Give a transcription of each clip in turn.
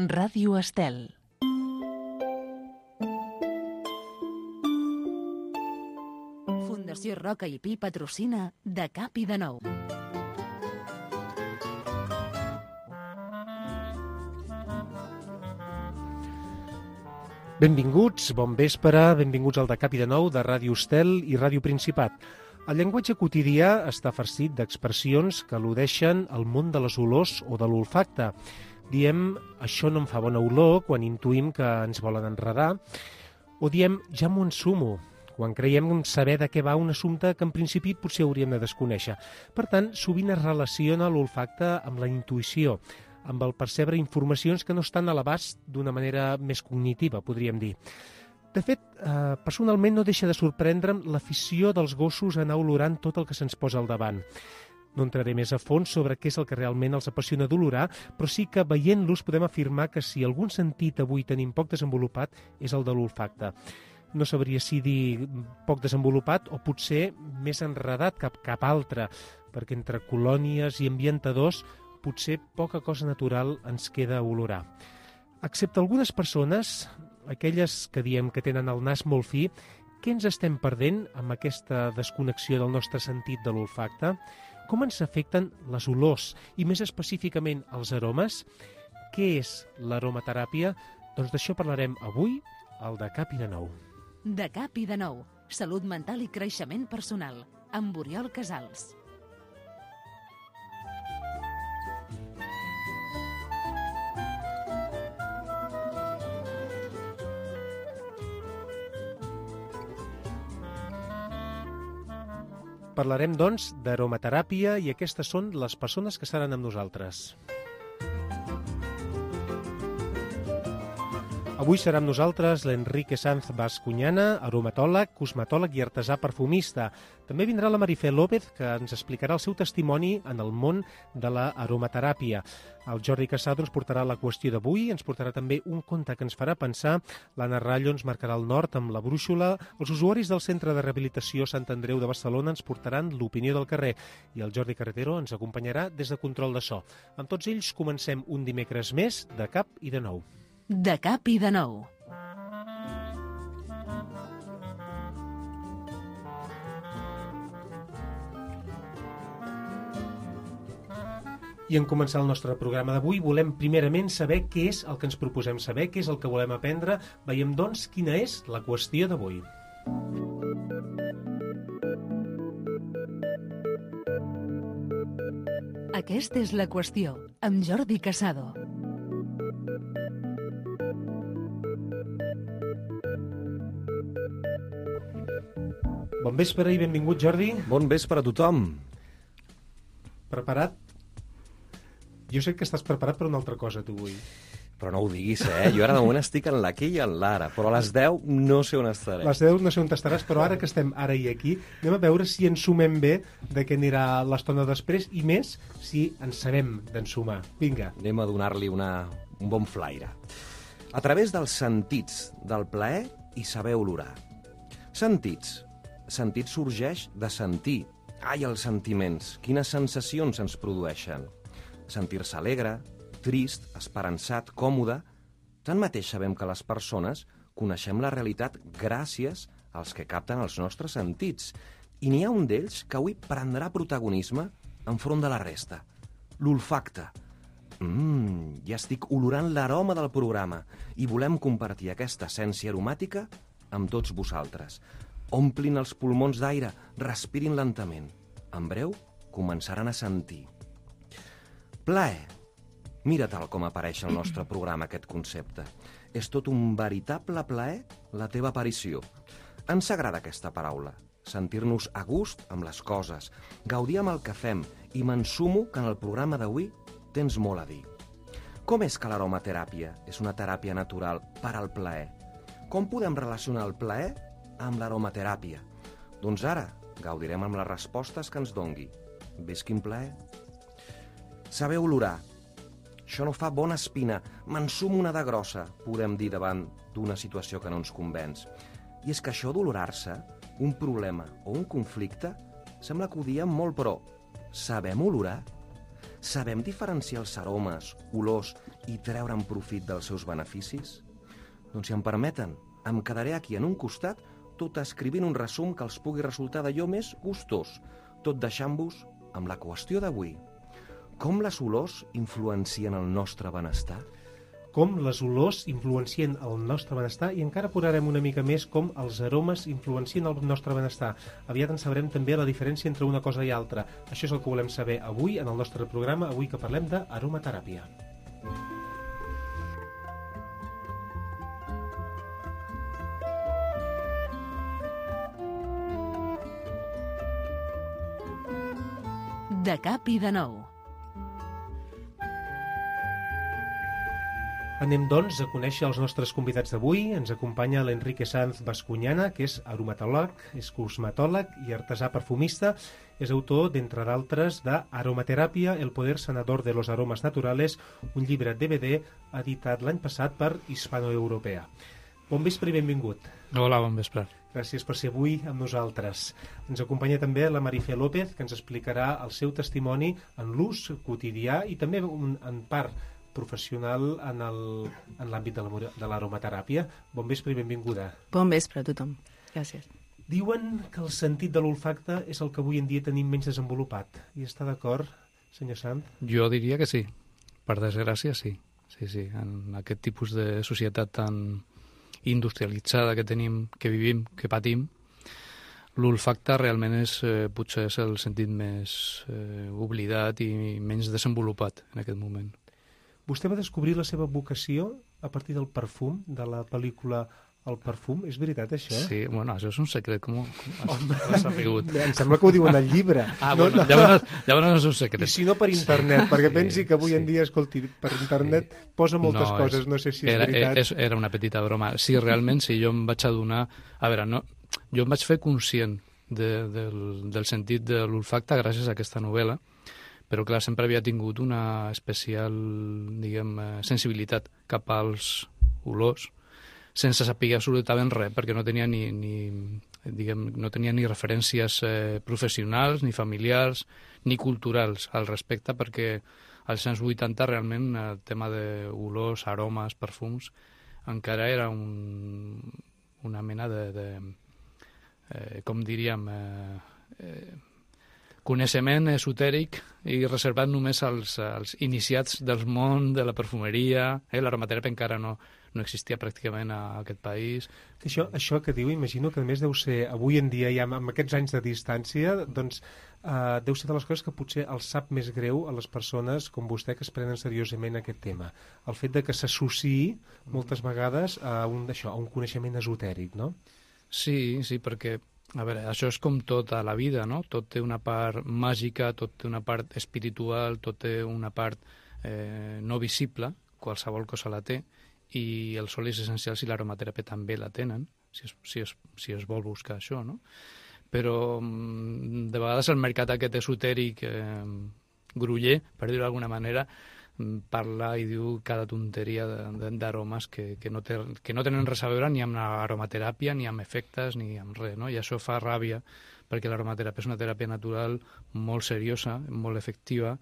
Ràdio Estel. Fundació Roca i Pi patrocina De Cap i de Nou. Benvinguts, bon vespre, benvinguts al De Cap i de Nou de Ràdio Estel i Ràdio Principat. El llenguatge quotidià està farcit d'expressions que al·ludeixen al món de les olors o de l'olfacte. Diem, això no em fa bona olor, quan intuïm que ens volen enredar, o diem, ja m'ho ensumo, quan creiem saber de què va un assumpte que en principi potser hauríem de desconèixer. Per tant, sovint es relaciona l'olfacte amb la intuïció, amb el percebre informacions que no estan a l'abast d'una manera més cognitiva, podríem dir. De fet, personalment no deixa de sorprendre'm l'afició dels gossos a anar olorant tot el que se'ns posa al davant. No entraré més a fons sobre què és el que realment els apassiona d'olorar, però sí que veient-los podem afirmar que si algun sentit avui tenim poc desenvolupat és el de l'olfacte. No sabria si dir poc desenvolupat o potser més enredat cap altre, perquè entre colònies i ambientadors potser poca cosa natural ens queda a olorar. Excepte algunes persones, aquelles que diem que tenen el nas molt fi, què ens estem perdent amb aquesta desconnexió del nostre sentit de l'olfacte? Com ens afecten les olors i més específicament els aromes? Què és l'aromateràpia? Doncs d'això parlarem avui al De Cap i de Nou. De Cap i de Nou, salut mental i creixement personal, amb Oriol Casals. Parlarem, doncs, d'aromateràpia i aquestes són les persones que seran amb nosaltres. Avui serà amb nosaltres l'Enrique Sanz Bascuñana, aromatòleg, cosmetòleg i artesà perfumista. També vindrà la Marifé López, que ens explicarà el seu testimoni en el món de l'aromateràpia. El Jordi Casado ens portarà la qüestió d'avui, ens portarà també un conte que ens farà pensar, l'Anna Rallo ens marcarà el nord amb la brúixola, els usuaris del Centre de Rehabilitació Sant Andreu de Barcelona ens portaran l'opinió del carrer i el Jordi Carretero ens acompanyarà des de control de so. Amb tots ells comencem un dimecres més de Cap i de Nou. De Cap i de Nou. I en començar el nostre programa d'avui volem primerament saber què és el que ens proposem saber, què és el que volem aprendre. Veiem, doncs, quina és la qüestió d'avui. Aquesta és la qüestió, amb Jordi Casado. Bon vespre i benvingut, Jordi. Bon vespre a tothom. Preparat? Jo sé que estàs preparat per una altra cosa, tu, avui. Però no ho diguis, Jo ara de moment estic en l'Aquí i en l'Ara, però a les 10 no sé on estaré. A les 10 no sé on estaràs, però ara que estem ara i aquí, anem a veure si ens sumem bé de què anirà l'estona després i més si ens sabem d'ensumar. Vinga. Anem a donar-li un bon flaire. A través dels sentits del plaer i saber olorar. Sentits. Sentit sorgeix de sentir. Ai, els sentiments, quines sensacions ens produeixen. Sentir-se alegre, trist, esperançat, còmode. Tanmateix sabem que les persones coneixem la realitat gràcies als que capten els nostres sentits. I n'hi ha un d'ells que avui prendrà protagonisme enfront de la resta. L'olfacte. Ja estic olorant l'aroma del programa i volem compartir aquesta essència aromàtica amb tots vosaltres. Omplin els pulmons d'aire, respirin lentament. En breu, començaran a sentir. Plaer. Mira tal com apareix al nostre programa aquest concepte. És tot un veritable plaer la teva aparició. Ens agrada aquesta paraula. Sentir-nos a gust amb les coses, gaudir amb el que fem i m'ensumo que en el programa d'avui tens molt a dir. Com és que l'aromateràpia és una teràpia natural per al plaer? Com podem relacionar el plaer amb l'aromateràpia? Doncs ara gaudirem amb les respostes que ens dongui. Ves quin plaer? Saber olorar. Això no fa bona espina, m'ensumo una de grossa, podem dir davant d'una situació que no ens convenç. I és que això d'olorar-se, un problema o un conflicte, sembla que ho diem molt, però sabem olorar? Sabem diferenciar els aromes, olors i treure'n profit dels seus beneficis? Doncs si em permeten, em quedaré aquí en un costat tot escrivint un resum que els pugui resultar d'allò més gustós, tot deixant-vos amb la qüestió d'avui. Com les olors influencien el nostre benestar? Com les olors influencien el nostre benestar i encara posarem una mica més com els aromes influencien el nostre benestar. Aviat en sabrem també la diferència entre una cosa i altra. Això és el que volem saber avui en el nostre programa, avui que parlem d'aromateràpia. De cap i de nou. Anem, doncs, a conèixer els nostres convidats d'avui. Ens acompanya l'Enrique Sanz Bascuñana, que és aromatòleg, és cosmetòleg i artesà perfumista. És autor, d'entre d'altres, d'Aromateràpia, el poder sanador de los aromas naturales, un llibre DVD editat l'any passat per Hispanoeuropea. Bon vespre i benvingut. Hola, bon vespre. Gràcies per ser avui amb nosaltres. Ens acompanya també la Marifé López, que ens explicarà el seu testimoni en l'ús quotidià i també en part professional en l'àmbit de l'aromateràpia. Bon vespre i benvinguda. Bon vespre a tothom. Gràcies. Diuen que el sentit de l'olfacte és el que avui en dia tenim menys desenvolupat. I està d'acord, senyor Sant? Jo diria que sí. Per desgràcia, sí. Sí. En aquest tipus de societat tan industrialitzada que tenim, que vivim, que patim, l'olfacte realment potser és el sentit més oblidat i menys desenvolupat en aquest moment. Vostè va descobrir la seva vocació a partir del perfum, de la pel·lícula El perfum. És veritat, això? Sí, bueno, això és un secret. Com has sapigut? Em sembla que ho diu en el llibre. Bueno, llavors és un secret. I si no per internet, perquè pensi que avui en dia, escolti, per internet posa moltes coses, no sé si és veritat. Era una petita broma. Sí, realment, sí, jo em vaig adonar... A veure, jo em vaig fer conscient del sentit de l'olfacte gràcies a aquesta novel·la, però clar, sempre havia tingut una especial, diguem, sensibilitat cap als olors, sense saber absolutament res, perquè no tenia no tenia ni referències professionals, ni familiars, ni culturals al respecte, perquè als anys 80 realment el tema d'olors, aromes, perfums, encara era una mena com diríem, coneixement esotèric i reservat només als iniciats del món de la perfumeria. L'aromateràpia encara no existia pràcticament a aquest país. Això que diu, imagino que a més deu ser, avui en dia, ja amb aquests anys de distància, doncs deu ser de les coses que potser els sap més greu a les persones com vostè que es prenen seriosament aquest tema. El fet de que s'associï moltes vegades a un coneixement esotèric, no? Sí, perquè a veure, això és com tot a la vida, no? Tot té una part màgica, tot té una part espiritual, tot té una part no visible, qualsevol cosa la té, i els olis essencials i l'aromateràpia també la tenen, si es vol buscar això, no? Però de vegades el mercat aquest esotèric gruller, per dir-ho d'alguna manera, parla i diu cada tonteria d'aromes que no tenen res a veure ni amb l'aromateràpia, ni amb efectes, ni amb res, no? I això fa ràbia, perquè l'aromateràpia és una teràpia natural molt seriosa, molt efectiva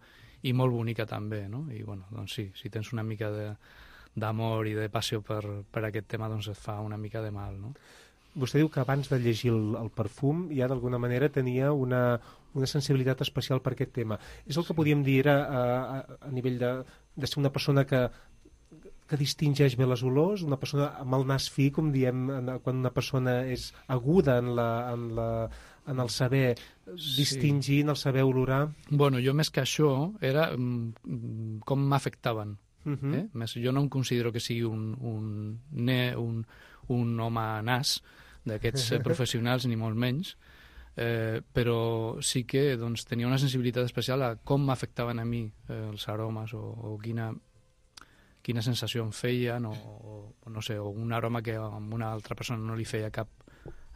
i molt bonica també, no? I bueno, doncs sí, si tens una mica d'amor i de passió per aquest tema, doncs et fa una mica de mal, no? Vostè diu que abans de llegir el perfum ja d'alguna manera tenia una sensibilitat especial per aquest tema. És el que podíem dir a nivell de ser una persona que distingeix bé les olors, una persona amb el nas fi, com diem quan una persona és aguda en el saber distingir, en el saber olorar? Bueno, jo més que això era com m'afectaven. Jo no em considero que sigui un home nas d'aquests professionals, ni molt menys, però sí que tenia una sensibilitat especial a com m'afectaven a mi els aromes o quina sensació em feien o no sé, o un aroma que a una altra persona no li feia cap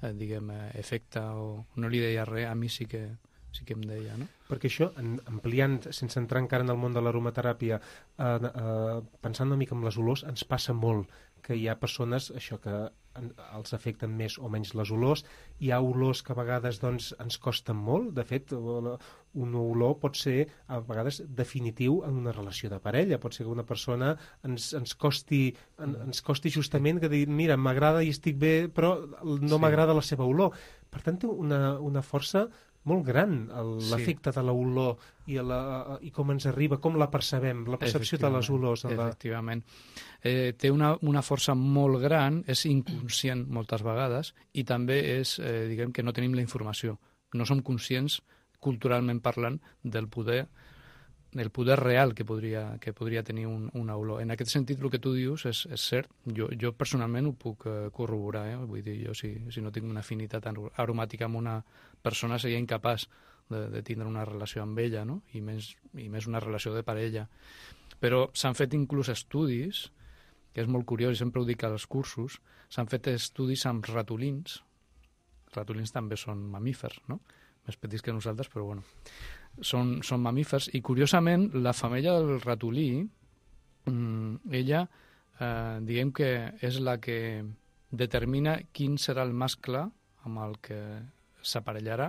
efecte o no li deia res, a mi sí que sí que em deia, no? Perquè això, ampliant, sense entrar encara en el món de l'aromateràpia, pensant una mica en les olors, ens passa molt que hi ha persones això que els afecten més o menys les olors. Hi ha olors que a vegades doncs, ens costen molt. De fet, una olor pot ser a vegades definitiu en una relació de parella. Pot ser que una persona ens costi justament que dir, mira, m'agrada i estic bé, però no m'agrada la seva olor. Per tant, té una força molt gran l'efecte de l'olor i com ens arriba, com la percebem, la percepció de les olors. Efectivament. Té una força molt gran, és inconscient moltes vegades, i també és, diguem, que no tenim la informació. No som conscients, culturalment parlant, del poder real que podria tenir una olor. En aquest sentit, el que tu dius és cert. Jo personalment ho puc corroborar. Vull dir, jo si no tinc una afinitat aromàtica amb una persona seria incapaç de tindre una relació amb ella, no? I més una relació de parella. Però s'han fet inclús estudis, que és molt curiós, i sempre ho dic als cursos, s'han fet estudis amb ratolins. Ratolins també són mamífers, no? Més petits que nosaltres, però bueno. Són mamífers, i curiosament la femella del ratolí, ella, diguem que és la que determina quin serà el mascle amb el que s'aparellarà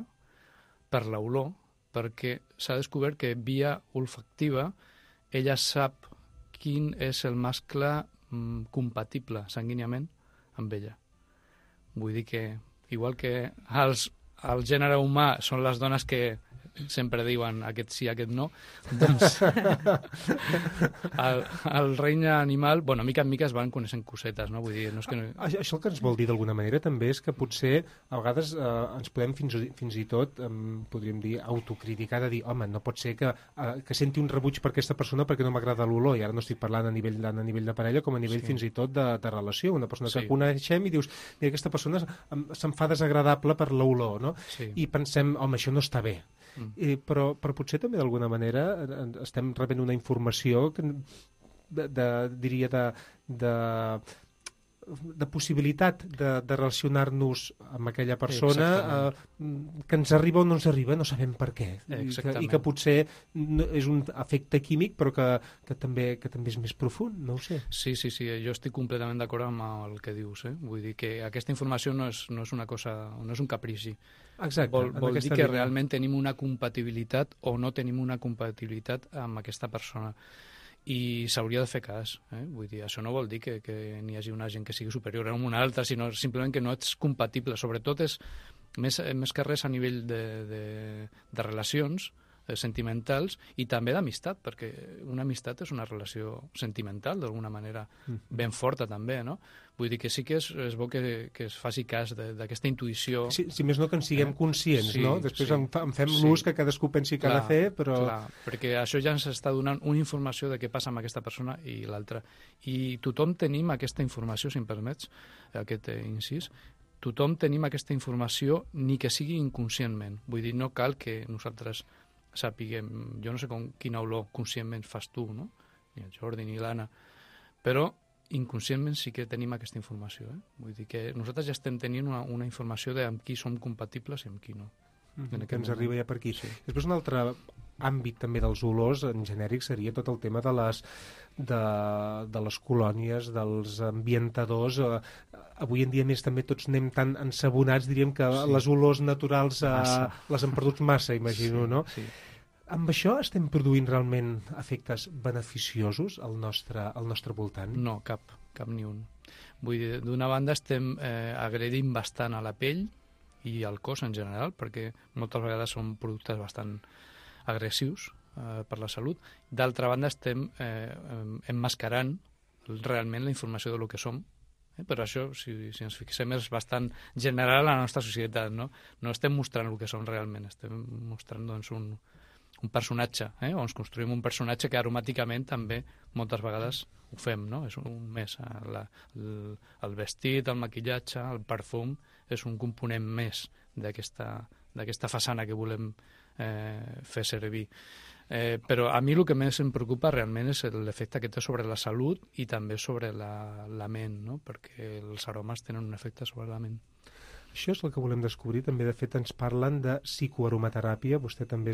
per l'olor, perquè s'ha descobert que via olfactiva ella sap quin és el mascle compatible sanguíniament amb ella. Vull dir que, igual que el gènere humà són les dones que sempre diuen aquest sí, aquest no, doncs el regne animal, bueno, mica en mica es van coneixent cosetes, no? Vull dir, no és que... Això el que ens vol dir d'alguna manera també és que potser a vegades ens podem fins i tot, podríem dir, autocriticar, de dir, home, no pot ser que senti un rebuig per aquesta persona perquè no m'agrada l'olor, i ara no estic parlant a nivell de parella com a nivell fins i tot de relació, una persona que coneixem i dius, mira, aquesta persona se'm fa desagradable per l'olor, no? I pensem, home, això no està bé. Però potser també d'alguna manera estem rebent una informació que diria de possibilitat de relacionar-nos amb aquella persona que ens arriba o no ens arriba, no sabem per què, i que potser és un efecte químic però que també és més profund, no ho sé. Sí, jo estic completament d'acord amb el que dius, vull dir que aquesta informació no és una cosa, no és un caprici. Exacte. Vol dir que realment tenim una compatibilitat o no tenim una compatibilitat amb aquesta persona. I s'hauria de fer cas. Vull dir, això no vol dir que n'hi hagi una gent que sigui superior a una altra, sinó simplement que no ets compatible. Sobretot és més que res a nivell de relacions sentimentals i també d'amistat, perquè una amistat és una relació sentimental, d'alguna manera ben forta també, no? Vull dir que sí que és bo que es faci cas d'aquesta intuïció. Si més no que en siguem conscients, no? Després en fem l'ús que cadascú pensi que ha de fer, però... Clar, perquè això ja ens està donant una informació de què passa amb aquesta persona i l'altra. I tothom tenim aquesta informació, si em permets, aquest incís, tothom tenim aquesta informació, ni que sigui inconscientment. Vull dir, no cal que nosaltres sapiguem, jo no sé quina olor conscientment fas tu, no? Ni el Jordi ni l'Anna, però inconscientment sí que tenim aquesta informació. Vull dir que nosaltres ja estem tenint una informació de amb qui som compatibles i amb qui no. Que ens arriba ja per aquí. Després un altre àmbit també dels olors en genèric seria tot el tema de les colònies, dels ambientadors. Avui en dia més també tots anem tan ensabonats, diríem que les olors naturals les hem perdut massa, imagino, no? Amb això estem produint realment efectes beneficiosos al nostre voltant? No, cap ni un. Vull dir, d'una banda estem agredint bastant a la pell i al cos en general, perquè moltes vegades són productes bastant agressius per la salut. D'altra banda estem emmascarant realment la informació de lo que som. Per això, si ens fixem, és bastant general a la nostra societat, no? No estem mostrant el que som realment, estem mostrant doncs, un personatge, o ens construïm un personatge que aromàticament també moltes vegades ho fem, no? És un més. El vestit, el maquillatge, el perfum, és un component més d'aquesta façana que volem fer servir. Però a mi el que més em preocupa realment és l'efecte que té sobre la salut i també sobre la ment, no? Perquè els aromes tenen un efecte sobre la ment. Això és el que volem descobrir. També, de fet, ens parlen de psicoaromateràpia. Vostè també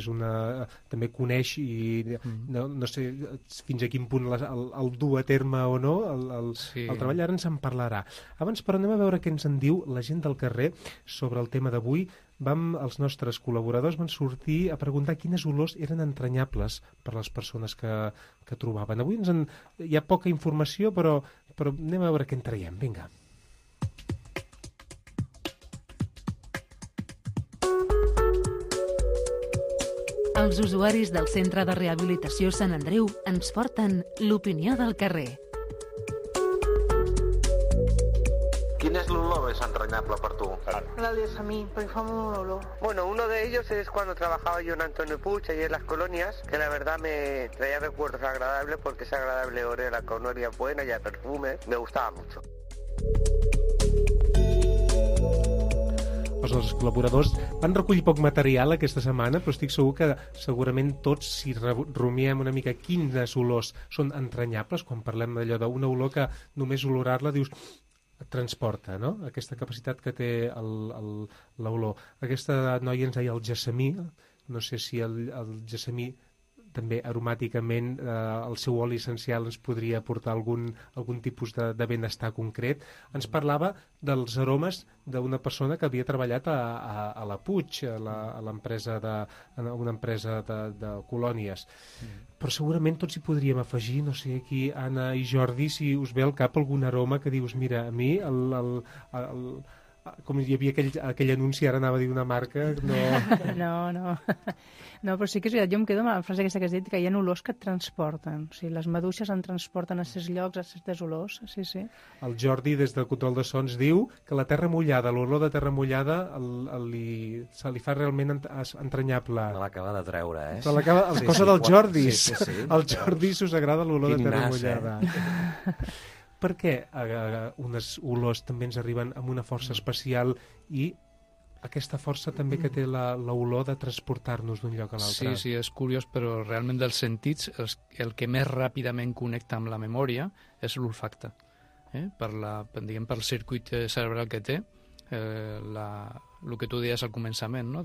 també coneix i no sé fins a quin punt el dur a terme o no, el treball. Ara ens en parlarà. Abans, però, anem a veure què ens en diu la gent del carrer sobre el tema d'avui. Els nostres col·laboradors van sortir a preguntar quines olors eren entranyables per les persones que trobaven. Avui hi ha poca informació, però anem a veure què en traiem. Vinga. Els usuaris del Centre de Rehabilitació Sant Andreu ens porten l'opinió del carrer. ¿Quién es l'olor més entrañable per tu? La de Samí, porque fue un olor. Bueno, uno de ellos es cuando trabajaba yo en Antonio Puig, allí en las colonias, que la verdad me traía recuerdos agradables porque es agradable olor, la colonia buena y a perfume, me gustaba mucho. Els nostres col·laboradors van recollir poc material aquesta setmana, però estic segur que segurament tots, si rumiem una mica quines olors són entranyables, quan parlem d'allò d'una olor que només olorar-la dius et transporta, no? Aquesta capacitat que té l'olor. Aquesta noia ens deia el gessamí, no sé si el gessamí també aromàticament el seu oli essencial ens podria aportar algun tipus de benestar concret. Ens parlava dels aromes d'una persona que havia treballat a la Puig, una empresa de colònies. Però segurament tots hi podríem afegir, no sé, aquí Anna i Jordi, si us ve al cap algun aroma que dius, mira, a mi com hi havia aquell anunci, ara anava a dir una marca, no... No, però sí que és veritat, jo em quedo amb la frase aquesta que has dit, que hi ha olors que et transporten. O sigui, les maduixes en transporten a certs llocs, a certes olors, sí. El Jordi, des del control de sons, diu que la terra mullada, l'olor de terra mullada, se li fa realment entranyable. Me l'acaba de treure, eh? Cosa del Jordi. Sí. Al Jordi us agrada l'olor de terra mullada. Per què unes olors també ens arriben amb una força especial i aquesta força també que té l'olor de transportar-nos d'un lloc a l'altre? Sí, és curiós, però realment dels sentits el que més ràpidament connecta amb la memòria és l'olfacte. Pel circuit cerebral que té, el que tu deies al començament, no?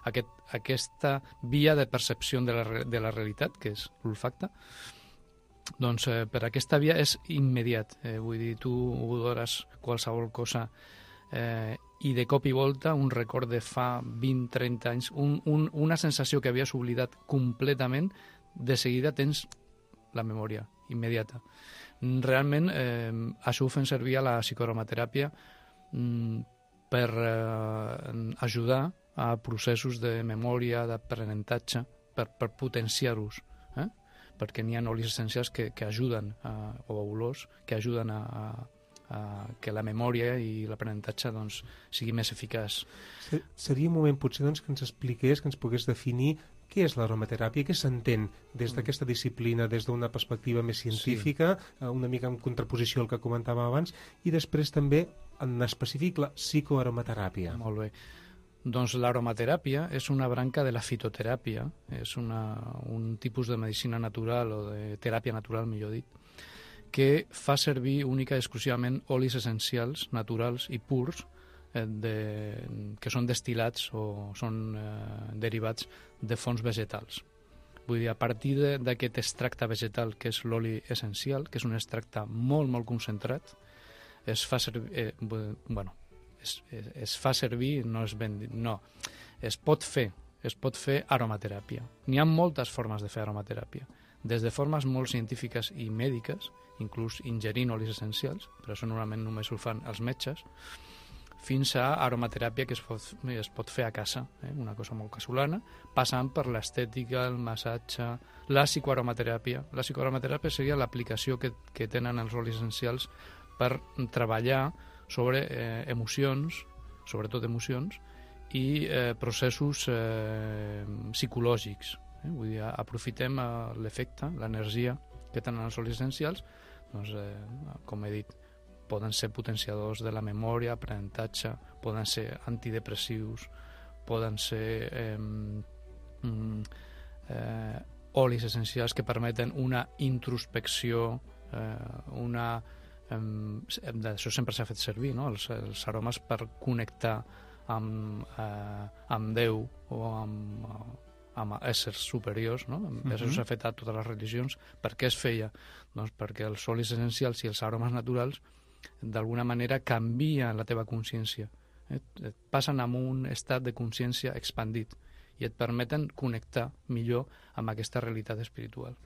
Aquesta via de percepció de la realitat, que és l'olfacte, doncs per aquesta via és immediat. Vull dir, tu odores qualsevol cosa i de cop i volta un record de fa 20-30 anys, una sensació que havies oblidat completament, de seguida tens la memòria immediata. Realment això ho fem servir a la psicoaromateràpia per ajudar a processos de memòria, d'aprenentatge, per potenciar-los, perquè n'hi ha olis essencials que ajuden, o olors, que ajuden a que la memòria i l'aprenentatge doncs, sigui més eficaç. Seria un moment potser doncs, que ens expliqués, que ens pogués definir què és l'aromateràpia, què s'entén des d'aquesta disciplina, des d'una perspectiva més científica, una mica en contraposició al que comentàvem abans, i després també en específic la psicoaromateràpia. Molt bé. Doncs l'aromateràpia és una branca de la fitoteràpia, és un tipus de medicina natural o de teràpia natural, millor dit, que fa servir única i exclusivament olis essencials, naturals i purs, que són destil·lats o són derivats de fonts vegetals. Vull dir, a partir d'aquest extracte vegetal, que és l'oli essencial, que és un extracte molt, molt concentrat, es fa servir... es fa servir, es pot fer aromateràpia. N'hi ha moltes formes de fer aromateràpia, des de formes molt científiques i mèdiques, inclús ingerint olis essencials, però això normalment només ho fan els metges, fins a aromateràpia que es pot fer a casa, una cosa molt casolana, passant per l'estètica, el massatge, la psicoaromateràpia. La psicoaromateràpia seria l'aplicació que tenen els olis essencials per treballar sobre emocions, sobretot emocions, i processos psicològics. Vull dir, aprofitem l'efecte, l'energia que tenen els olis essencials, doncs, com he dit, poden ser potenciadors de la memòria, aprenentatge, poden ser antidepressius, poden ser olis essencials que permeten una introspecció, una Això sempre s'ha fet servir, no? Els aromes per connectar amb Déu o amb éssers superiors, no? Això s'ha fet a totes les religions. Per què es feia? Doncs perquè els olis essencials i els aromes naturals d'alguna manera canvien la teva consciència. Et passen a un estat de consciència expandit i et permeten connectar millor amb aquesta realitat espiritual.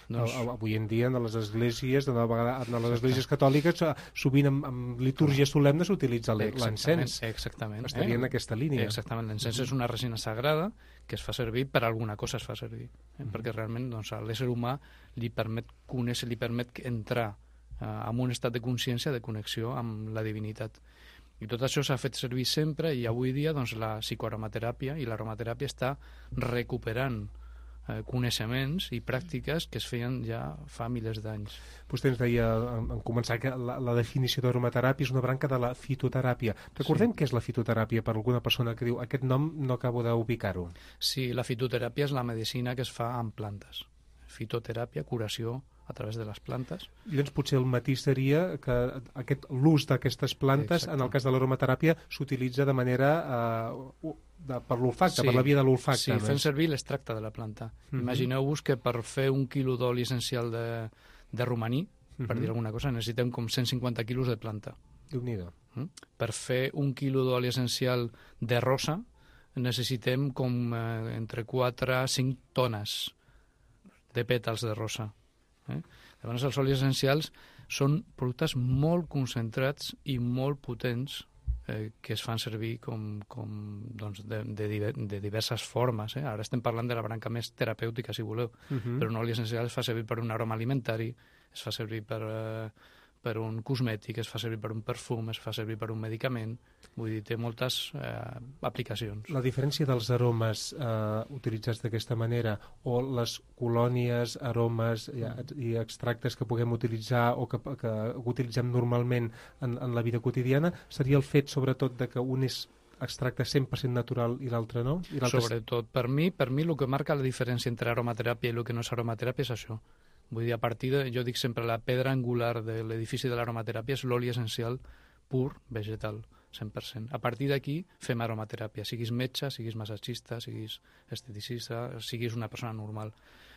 Avui en dia, en les esglésies, en les esglésies catòliques, sovint en litúrgia solemne s'utilitza l'encens. Exactament. Estaria en aquesta línia. Exactament. L'encens és una resina sagrada que es fa servir per alguna cosa, es fa servir. Perquè realment a l'ésser humà li permet conèixer, li permet entrar en un estat de consciència, de connexió amb la divinitat. I tot això s'ha fet servir sempre, i avui dia la psicoaromateràpia i l'aromateràpia està recuperant coneixements i pràctiques que es feien ja fa milers d'anys. Vostè ens deia en començar que la definició d'aromateràpia és una branca de la fitoteràpia. Recordem què és la fitoteràpia per alguna persona que diu aquest nom no acabo d'ubicar-ho. Sí, la fitoteràpia és la medicina que es fa amb plantes. Fitoteràpia, curació a través de les plantes. Llavors potser el matís seria que l'ús d'aquestes plantes, en el cas de l'aromateràpia, s'utilitza de manera per l'olfacte, per la via de l'olfacte. Sí, fent servir l'extracte de la planta. Imagineu-vos que per fer 1 quilo d'oli essencial de romaní, per dir alguna cosa, necessitem com 150 quilos de planta. Déu-n'hi-do. Per fer 1 quilo d'oli essencial de rosa necessitem com entre 4 a 5 tones de pètals de rosa. Llavors els olis essencials són productes molt concentrats i molt potents que es fan servir de diverses formes. Ara estem parlant de la branca més terapèutica, si voleu, però un oli essencial es fa servir per un aroma alimentari, es fa servir per un cosmètic, es fa servir per un perfum, es fa servir per un medicament. Vull dir, té moltes aplicacions. La diferència dels aromes utilitzats d'aquesta manera o les colònies, aromes i extractes que puguem utilitzar o que utilitzem normalment en la vida quotidiana seria el fet, sobretot, de que un és extracte 100% natural i l'altre no? Sobretot, per mi el que marca la diferència entre aromateràpia i el que no és aromateràpia és això. Vull dir, jo dic sempre, la pedra angular de l'edifici de l'aromateràpia és l'oli essencial pur vegetal, 100%. A partir d'aquí fem aromateràpia, siguis metge, siguis massatgista, siguis esteticista, siguis una persona normal.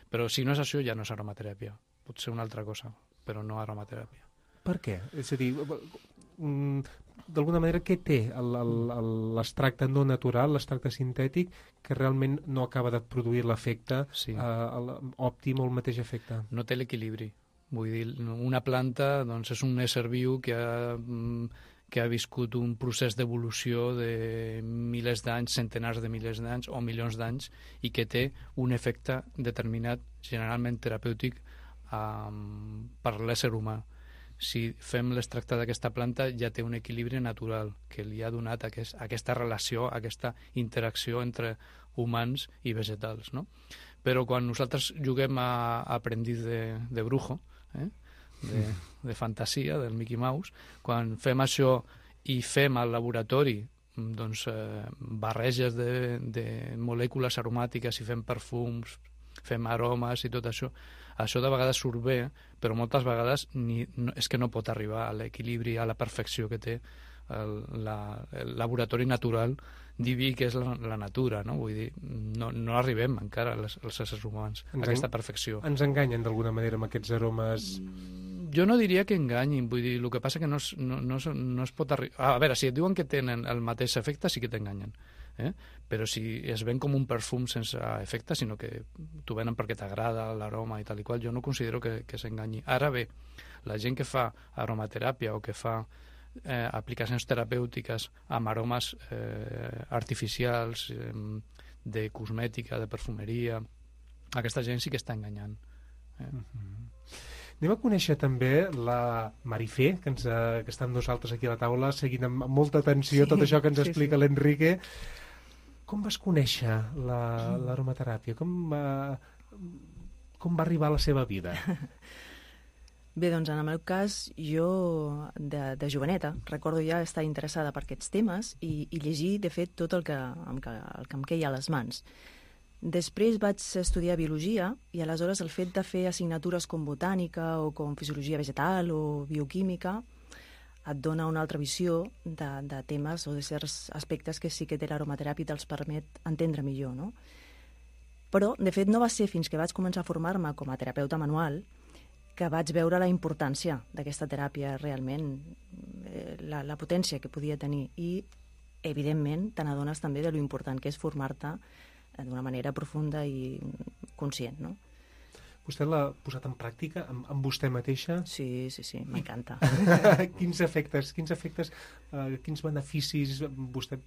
Però si no és això, ja no és aromateràpia. Pot ser una altra cosa, però no aromateràpia. Per què? És a dir, d'alguna manera, què té l'extracte no natural, l'extracte sintètic, que realment no acaba de produir l'efecte òptim o el mateix efecte? No té l'equilibri. Vull dir, una planta és un ésser viu que ha viscut un procés d'evolució de milers d'anys, centenars de milers d'anys o milions d'anys, i que té un efecte determinat, generalment terapèutic, per l'ésser humà. Si fem l'extracte d'aquesta planta ja té un equilibri natural que li ha donat aquesta relació, aquesta interacció entre humans i vegetals, no? Però quan nosaltres juguem a aprendiz de brujo, de fantasia, del Mickey Mouse, quan fem això i fem al laboratori barreges de molècules aromàtiques i fem perfums, fem aromes i tot això, això de vegades surt bé, però moltes vegades és que no pot arribar a l'equilibri, a la perfecció que té el laboratori natural diví que és la natura, no? Vull dir, no arribem encara els éssers humans a aquesta perfecció. Ens enganyen d'alguna manera amb aquests aromes? Jo no diria que enganyin, vull dir, el que passa que no es pot arribar... A veure, si et diuen que tenen el mateix efecte, sí que t'enganyen. Però si es ven com un perfum sense efecte, sinó que t'ho venen perquè t'agrada l'aroma i tal i qual, jo no considero que s'enganyi. Ara bé, la gent que fa aromateràpia o que fa aplicacions terapèutiques amb aromes artificials, de cosmètica, de perfumeria, aquesta gent sí que està enganyant. Anem a conèixer també la Marifé, que està amb nosaltres aquí a la taula, seguint amb molta atenció tot això que ens explica l'Enrique. Com vas conèixer l'aromateràpia? Com va arribar a la seva vida? Bé, doncs en el meu cas, jo de joveneta recordo ja estar interessada per aquests temes i llegir, de fet, tot el que em queia a les mans. Després vaig estudiar biologia i aleshores el fet de fer assignatures com botànica o com fisiologia vegetal o bioquímica et dona una altra visió de temes o de certs aspectes que sí que té l'aromateràpia i te'ls permet entendre millor, no? Però, de fet, no va ser fins que vaig començar a formar-me com a terapeuta manual que vaig veure la importància d'aquesta teràpia realment, la potència que podia tenir i, evidentment, te n'adones també de lo important que és formar-te d'una manera profunda i conscient, no? Vostè l'ha posat en pràctica amb vostè mateixa? Sí, m'encanta. Quins efectes, quins beneficis vostè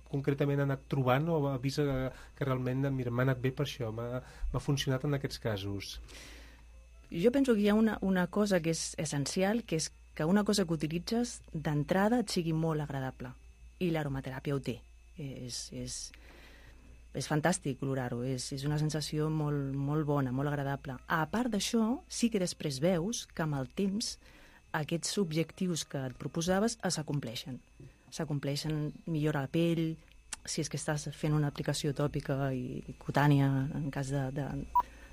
concretament ha anat trobant o ha vist que realment m'ha anat bé per això, m'ha funcionat en aquests casos? Jo penso que hi ha una cosa que és essencial, que és que una cosa que utilitzes d'entrada et sigui molt agradable. I l'aromateràpia ho té. És fantàstic olorar-ho, és una sensació molt bona, molt agradable. A part d'això, sí que després veus que amb el temps aquests objectius que et proposaves s'acompleixen. S'acompleixen, millora la pell, si és que estàs fent una aplicació tòpica i cutània, en cas de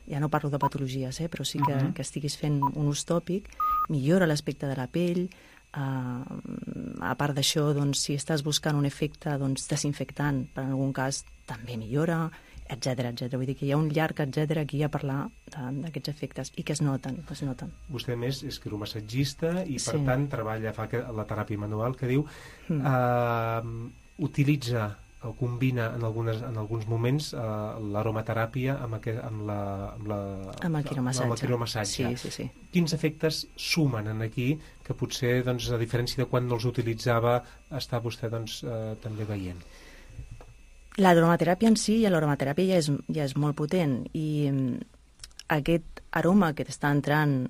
ja no parlo de patologies, però sí que estiguis fent un ús tòpic, millora l'aspecte de la pell. A part d'això, doncs, si estàs buscant un efecte desinfectant, per en algun cas també millora, etc. Vull dir que hi ha un llarg etcètera aquí a parlar d'aquests efectes i que es noten. Vostè, a més, és quiromassatgista i, per tant, treballa, fa la teràpia manual, que diu, utilitza o combina en alguns moments l'aromateràpia amb el quiromassatge. Sí. Quins efectes sumen en aquí que potser, doncs, a diferència de quan no els utilitzava, està vostè també veient? L'aromateràpia en si, l'aromateràpia ja és molt potent i aquest aroma que t'està entrant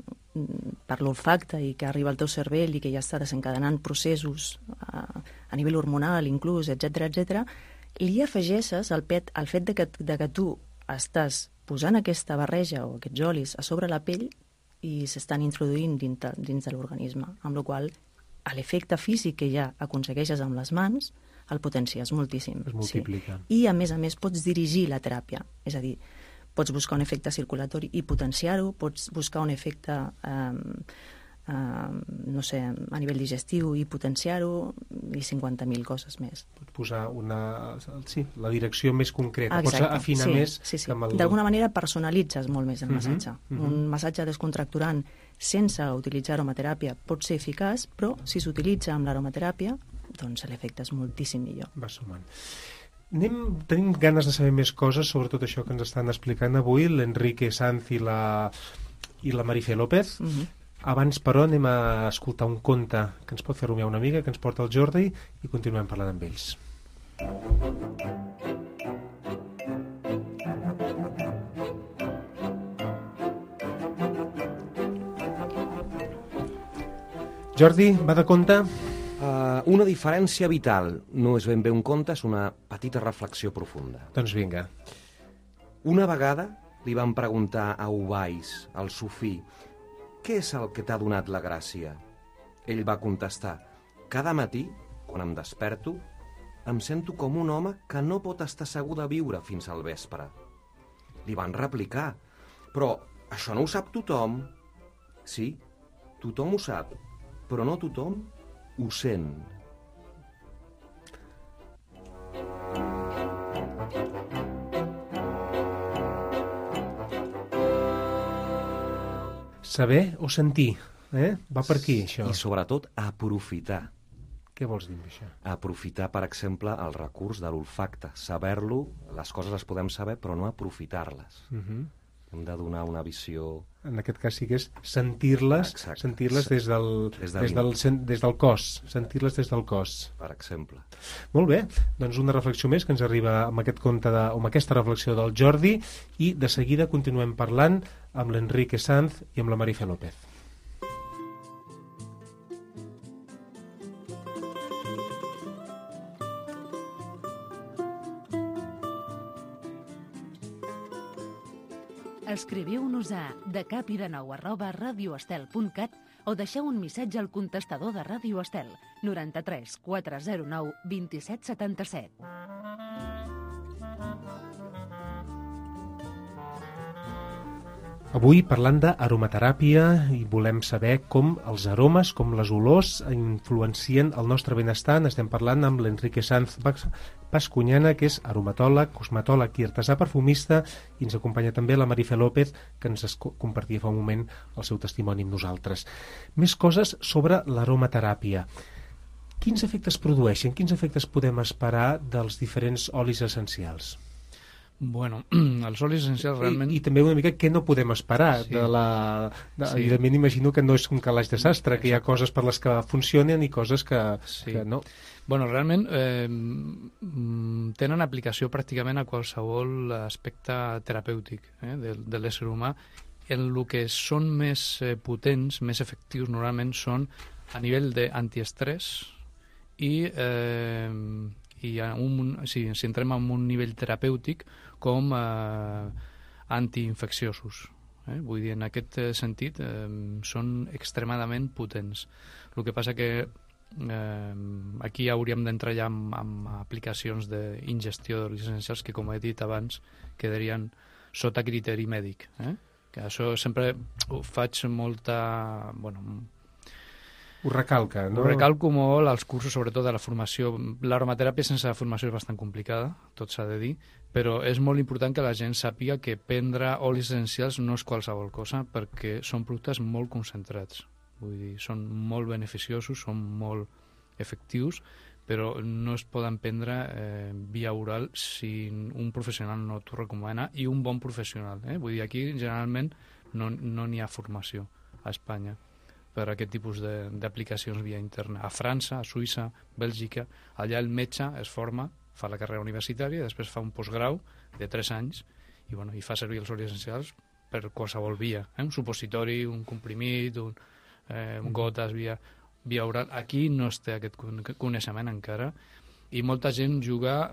per l'olfacte i que arriba al teu cervell i que ja està desencadenant processos a nivell hormonal inclús, etc., li afegeixes el fet de que tu estàs posant aquesta barreja o aquests olis a sobre la pell i s'estan introduint dins de l'organisme, amb la qual cosa l'efecte físic que ja aconsegueixes amb les mans el potencies moltíssim. Es multiplica. I, a més, pots dirigir la teràpia, és a dir, pots buscar un efecte circulatori i potenciar-ho, pots buscar un efecte no sé, a nivell digestiu i potenciar-ho i 50.000 coses més. Pots posar la direcció més concreta. Exacte. Pots afinar més. Sí. D'alguna manera personalitzes molt més el massatge. Un massatge descontracturant sense utilitzar aromateràpia pot ser eficaç, però si s'utilitza amb l'aromateràpia, doncs l'efecte és moltíssim millor. Va sumant. Tenim ganes de saber més coses sobre tot això que ens estan explicant avui l'Enrique Sanz i la Marifé López. Abans, però, anem a escoltar un conte que ens pot fer rumiar una mica, que ens porta el Jordi, i continuem parlant amb ells. Jordi, va de conte? Una diferència vital. No és ben bé un conte, és una petita reflexió profunda. Doncs vinga. Una vegada li van preguntar a Ubais, el sufí, què és el que t'ha donat la gràcia? Ell va contestar, cada matí, quan em desperto, em sento com un home que no pot estar segur de viure fins al vespre. Li van replicar, però això no ho sap tothom. Sí, tothom ho sap, però no tothom ho sent. Saber o sentir, va per aquí, això. I sobretot aprofitar. Què vols dir amb això? Aprofitar, per exemple, el recurs de l'olfacte. Saber-lo, les coses les podem saber, però no aprofitar-les. Hem de donar una visió... En aquest cas sí que és sentir-les des del cos. Sentir-les des del cos. Per exemple. Molt bé, doncs una reflexió més que ens arriba amb aquest conte amb aquesta reflexió del Jordi, i de seguida continuem parlant amb l'Enrique Sanz i amb la Marifé López. Escriviu-nos a decapidenou@radioestel.cat o deixeu un missatge al contestador de Ràdio Estel 93 409 27 77. Avui parlant d'aromateràpia i volem saber com els aromes, com les olors influencien el nostre benestar. Estem parlant amb l'Enrique Sanz Bascuñana, que és aromatòleg, cosmetòleg i artesà perfumista, i ens acompanya també la Marifé López, que ens compartia fa un moment el seu testimoni amb nosaltres. Més coses sobre l'aromateràpia. Quins efectes produeixen? Quins efectes podem esperar dels diferents olis essencials? Bueno, els olis essencials realment... I també una mica què no podem esperar de la... Evidentment imagino que no és un calaix de sastre, que hi ha coses per les que funcionen i coses que no. Bueno, realment tenen aplicació pràcticament a qualsevol aspecte terapèutic de l'ésser humà. En el que són més potents, més efectius, normalment són a nivell d'antiestrès i si entrem en un nivell terapèutic com antiinfecciosos. Vull dir, en aquest sentit són extremadament potents. El que passa que aquí hauríem d'entrar ja amb aplicacions d'ingestió d'olis essencials que, com he dit abans, quedarien sota criteri mèdic. Que això sempre ho faig molta... Ho recalca, no? Ho recalco molt als cursos, sobretot de la formació. L'aromateràpia sense la formació és bastant complicada, tot s'ha de dir, però és molt important que la gent sàpiga que prendre olis essencials no és qualsevol cosa, perquè són productes molt concentrats. Vull dir, són molt beneficiosos, són molt efectius, però no es poden prendre via oral si un professional no t'ho recomana, i un bon professional. Vull dir, aquí generalment no n'hi ha formació a Espanya per a aquest tipus d'aplicacions via interna. A França, a Suïssa, Bèlgica, allà el metge es forma, fa la carrera universitària, després fa un postgrau de 3 anys i fa servir els olis essencials per qualsevol via. Un supositori, un comprimit, gotes via oral. Aquí no es té aquest coneixement encara, i molta gent juga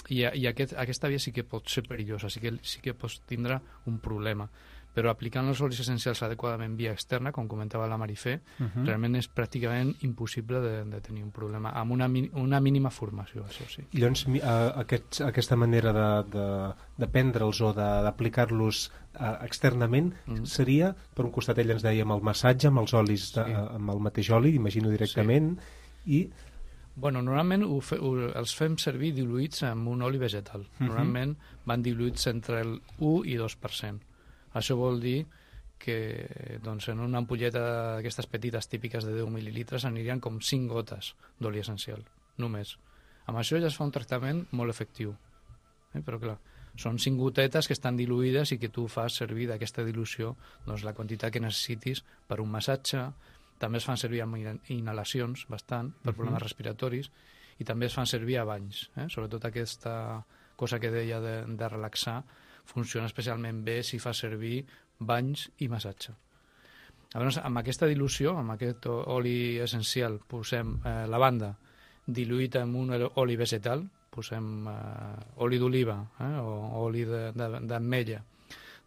i aquesta via sí que pot ser perillosa, sí que pots tindre un problema. Però aplicant els olis essencials adequadament via externa, com comentava la Marifé, realment és pràcticament impossible de tenir un problema, amb una mínima formació, això sí. I llavors aquesta manera de prendre'ls o d'aplicar-los externament seria, per un costat ell ens deia, amb el massatge, amb els olis, amb el mateix oli, imagino directament, i... Bueno, normalment els fem servir diluïts amb un oli vegetal. Normalment van diluïts entre el 1 i 2%. Això vol dir que en una ampolleta d'aquestes petites típiques de 10 mil·lilitres anirien com 5 gotes d'oli essencial, només. Amb això ja es fa un tractament molt efectiu. Però clar, són 5 gotetes que estan diluïdes i que tu fas servir d'aquesta dilució la quantitat que necessitis per un massatge. També es fan servir amb inhalacions bastant per problemes respiratoris, i també es fan servir a banys. Sobretot aquesta cosa que deia de relaxar funciona especialment bé si fa servir banys i massatge. Llavors, amb aquesta dilució, amb aquest oli essencial, posem lavanda diluït amb un oli vegetal, posem oli d'oliva o oli d'ametlla.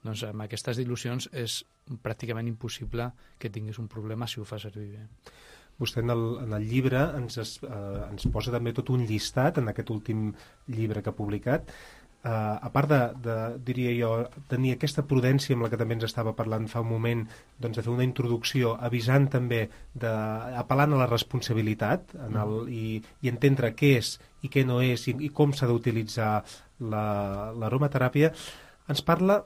Doncs amb aquestes dilucions és pràcticament impossible que tinguis un problema si ho fa servir bé. Vostè en el llibre ens posa també tot un llistat, en aquest últim llibre que ha publicat, a part diria jo, tenir aquesta prudència amb la que també ens estava parlant fa un moment, de fer una introducció avisant també, apel·lant a la responsabilitat i entendre què és i què no és i com s'ha d'utilitzar l'aromateràpia. Ens parla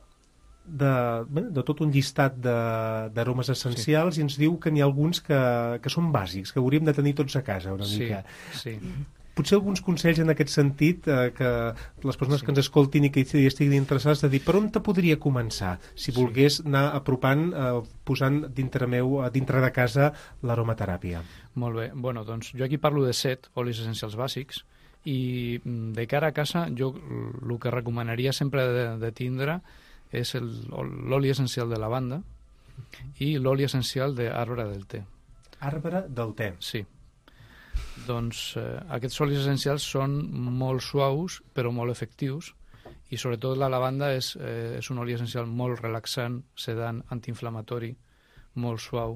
de tot un llistat d'aromes essencials i ens diu que n'hi ha alguns que són bàsics, que hauríem de tenir tots a casa una mica. Sí. Potser alguns consells en aquest sentit que les persones que ens escoltin i que hi estiguin interessades, de dir per on te podria començar si volgués anar apropant, posant dintre de casa l'aromateràpia. Molt bé, doncs jo aquí parlo de 7 olis essencials bàsics, i de cara a casa jo el que recomanaria sempre de tindre és l'oli essencial de lavanda i l'oli essencial d'arbre del té. Arbre del té? Sí. Doncs aquests olis essencials són molt suaus però molt efectius, i sobretot la lavanda és un oli essencial molt relaxant, sedant, antiinflamatori, molt suau.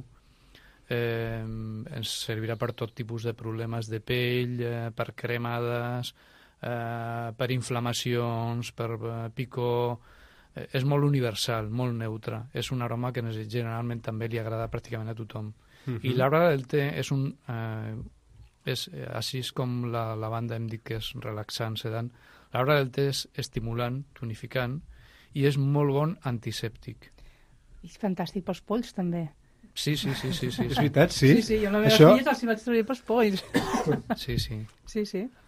Ens servirà per tot tipus de problemes de pell, per cremades, per inflamacions, per picor, és molt universal, molt neutre. És un aroma que generalment també li agrada pràcticament a tothom. I l'arbre del te és així com la lavanda hem dit que és relaxant, sedant. L'arbre del te és estimulant, tonificant, i és molt bon antisèptic. I és fantàstic pels polls, també. Sí. És veritat, sí? Sí, jo amb la meva filla els hi vaig traure pels polls. Sí.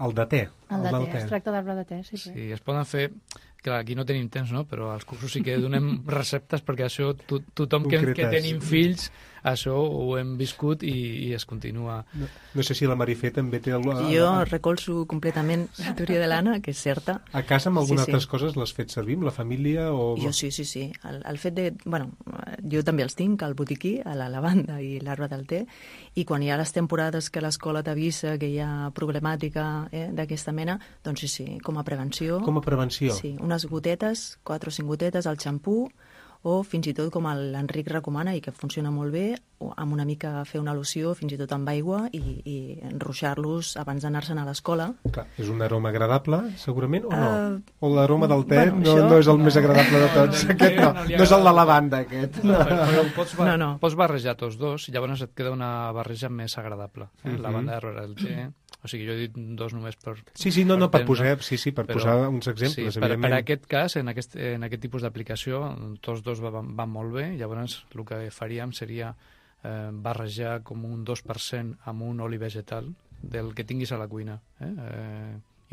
El de te. El de te, es tracta d'arbre de te, sí. Sí, es poden fer... Clar, aquí no tenim temps, no? Però als cursos sí que donem receptes perquè això tothom que tenim fills, això ho hem viscut i es continua. No sé si la Marifé també té... Jo recolzo completament la teoria de l'Anna, que és certa. A casa amb algunes altres coses l'has fet servir, amb la família? O... Jo sí. El fet de... Bueno, jo també els tinc, al botiquí, a la lavanda i l'arbre del te, i quan hi ha les temporades que l'escola t'avisa que hi ha problemàtica d'aquesta mena, doncs sí, com a prevenció. Com a prevenció? Sí, unes gotetes, 4 o 5 gotetes al xampú, o fins i tot com l'Enric recomana i que funciona molt bé, amb una mica fer una loció, fins i tot amb aigua, i enruixar-los abans d'anar-se'n a l'escola. Clar, és un aroma agradable, segurament, o no? O l'aroma del te no és el més agradable de tots? Aquest no és el de lavanda, aquest. Però pots barrejar tots dos, i llavors et queda una barreja més agradable. Lavanda darrere del te... O sigui, jo he dit dos només per... per posar uns exemples, evidentment. Per aquest cas, en aquest tipus d'aplicació, tots dos van molt bé, llavors el que faríem seria barrejar com un 2% amb un oli vegetal del que tinguis a la cuina.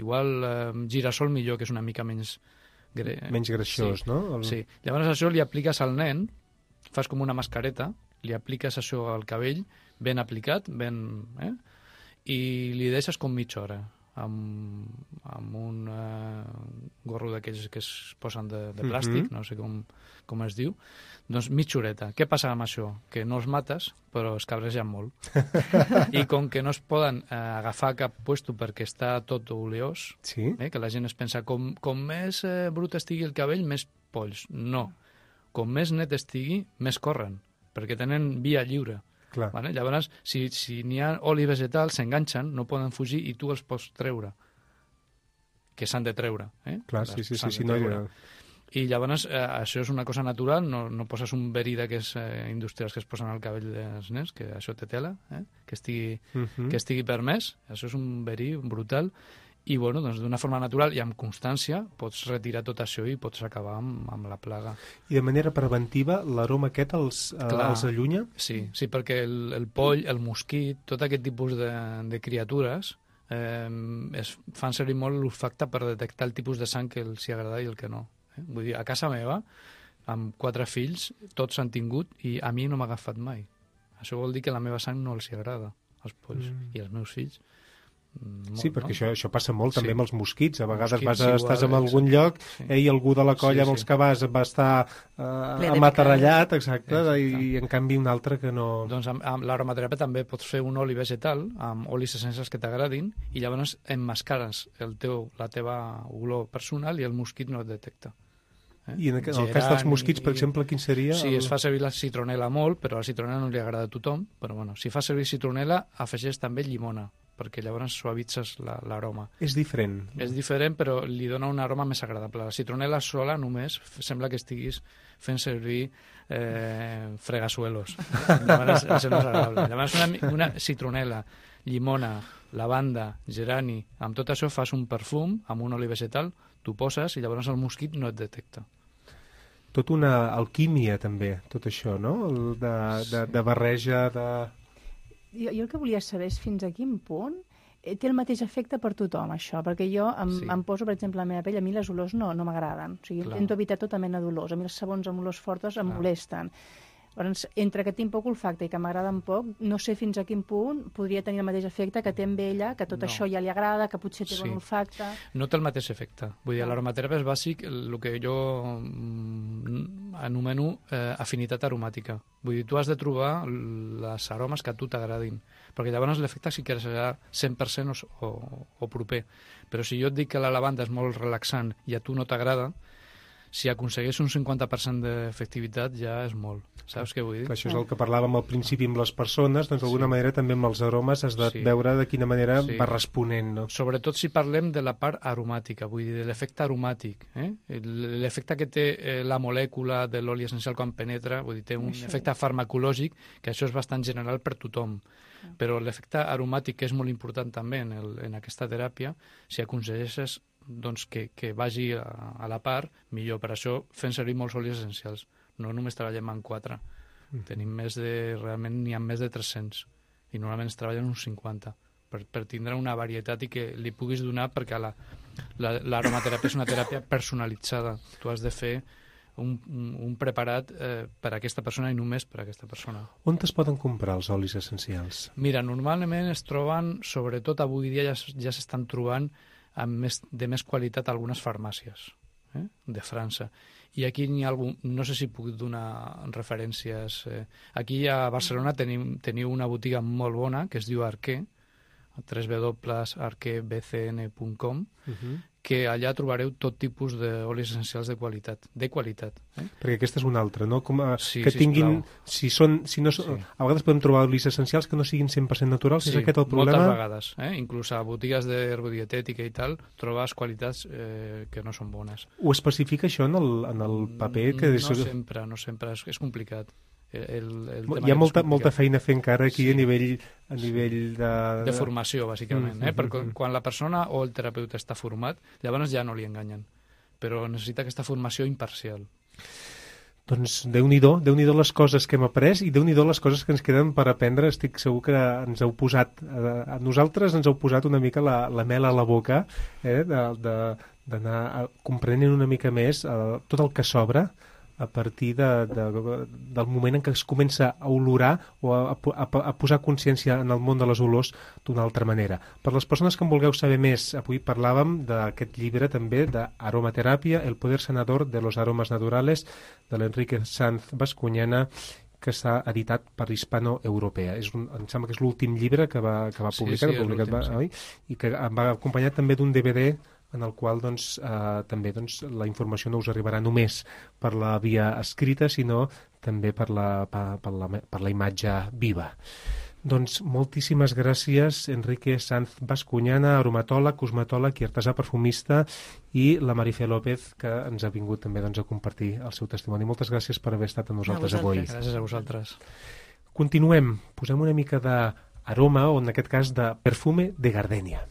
Igual girassol millor, que és una mica menys... Menys greixós, no? Sí. Llavors això li apliques al nen, fas com una mascareta, li apliques això al cabell, ben aplicat, i li deixes com mitja hora amb un gorro d'aquells que es posen de plàstic, no sé com es diu, doncs mitja horeta. Què passa amb això? Que no els mates, però es cabregen molt. I com que no es poden agafar cap puesto perquè està tot oleós, que la gent es pensa com més brut estigui el cabell, més polls. No. Com més net estigui, més corren, perquè tenen via lliure. Vale? Llavors, si n'hi ha oli vegetal, s'enganxen, no poden fugir i tu els pots treure, que s'han de treure. Clar, sí. I llavors, això és una cosa natural, no poses un verí d'aquests industrials que es posen al cabell dels nens, que això té tela, que estigui permès, això és un verí brutal, i doncs d'una forma natural i amb constància pots retirar tot això i pots acabar amb la plaga. I de manera preventiva l'aroma aquest els allunya? Sí, perquè el poll, el mosquit, tot aquest tipus de criatures es fan servir molt l'olfacte per detectar el tipus de sang que els hi agrada i el que no. Vull dir, a casa meva, amb 4 fills, tots s'han tingut i a mi no m'ha agafat mai. Això vol dir que la meva sang no els hi agrada, als polls, i als meus fills. Molt, sí, perquè això passa molt també amb els mosquits. A vegades estàs en algun lloc i algú de la colla amb els que va estar amaterrallat, i en canvi un altre que no... Doncs amb l'aromateràpia també pots fer un oli vegetal amb olis essencials que t'agradin i llavors emmascares la teva olor personal i el mosquit no et detecta. I en el cas dels mosquits, per exemple, quin seria? Sí, es fa servir la citronela molt, però la citronela no li agrada a tothom, però si fa servir citronela, afegeix també llimona, perquè llavors suavitzes l'aroma. És diferent. És diferent, però li dona un aroma més agradable. La citronela sola només sembla que estiguis fent servir fregasuelos. Llavors, això no és agradable. Llavors, una citronela, llimona, lavanda, gerani, amb tot això fas un perfum amb un oli vegetal, tu poses i llavors el mosquit no et detecta. Tot una alquímia, també, tot això, no? De barreja, de... Jo el que volia saber és fins a quin punt té el mateix efecte per tothom, això, perquè jo em poso, per exemple, la meva pell, a mi les olors no m'agraden. O sigui, intento evitar tota mena d'olors. A mi els sabons amb olors fortes em molesten. Llavors, entre que tinc poc olfacte i que m'agraden poc, no sé fins a quin punt podria tenir el mateix efecte que té amb ella, que tot això ja li agrada, que potser té bon olfacte... No té el mateix efecte. Vull dir, l'aromateràpia és bàsic, el que jo anomeno afinitat aromàtica. Vull dir, tu has de trobar les aromes que a tu t'agradin, perquè llavors l'efecte sí que serà 100% o proper. Però si jo et dic que la lavanda és molt relaxant i a tu no t'agrada, si aconsegueix un 50% d'efectivitat ja és molt. Saps què vull dir? Això és el que parlàvem al principi amb les persones, doncs d'alguna manera també amb els aromes has de veure de quina manera va responent. No? Sobretot si parlem de la part aromàtica, vull dir, de l'efecte aromàtic. L'efecte que té la molècula de l'oli essencial quan penetra, vull dir, té un efecte farmacològic, que això és bastant general per tothom. Però l'efecte aromàtic, que és molt important també en aquesta teràpia, si aconsegueixes doncs, que vagi a la part, millor. Per això fem servir molts olis essencials. No només treballem en 4. Tenim realment n'hi ha més de 300 i normalment es treballen uns 50 per tindre una varietat i que li puguis donar, perquè l'aromateràpia és una teràpia personalitzada. Tu has de fer un preparat per a aquesta persona i només per a aquesta persona. On es poden comprar els olis essencials? Mira, normalment es troben, sobretot avui dia ja s'estan trobant de més qualitat a algunes farmàcies de França. I aquí n'hi ha algun, no sé si puc donar referències. Aquí a Barcelona teniu una botiga molt bona que es diu Arqué, www.arquebcn.com, que allà trobareu tot tipus d'olis essencials de qualitat. Perquè aquesta és una altra, no? Que tinguin... A vegades podem trobar olis essencials que no siguin 100% naturals, és aquest el problema? Moltes vegades. Inclús a botigues d'herbodietètica i tal, trobes qualitats que no són bones. Ho especifica això en el paper? No sempre, és complicat. Hi ha molta feina a fer encara aquí a nivell de formació, bàsicament. Perquè quan la persona o el terapeuta està format, llavors ja no li enganyen, però necessita aquesta formació imparcial. Doncs Déu-n'hi-do les coses que hem après i Déu-n'hi-do les coses que ens queden per aprendre. Estic segur que ens heu posat, a nosaltres ens heu posat una mica la mel a la boca, d'anar comprenent una mica més tot el que s'obre a partir del moment en què es comença a olorar o a posar consciència en el món de les olors d'una altra manera. Per les persones que en vulgueu saber més, avui parlàvem d'aquest llibre també d'Aromateràpia, el poder sanador de los aromas naturales, de l'Enrique Sanz Bascuñana, que està editat per Hispano Europea. Em sembla que és l'últim llibre que va publicar, i que va acompanyat també d'un DVD en el qual també la informació no us arribarà només per la via escrita, sinó també per la imatge viva. Doncs moltíssimes gràcies, Enrique Sanz Bascuñana, aromatòleg, cosmetòleg i artesà perfumista, i la Marifé López, que ens ha vingut també a compartir el seu testimoni. Moltes gràcies per haver estat amb nosaltres avui. Gràcies a vosaltres. Continuem. Posem una mica d'aroma, o en aquest cas de perfume de gardènia.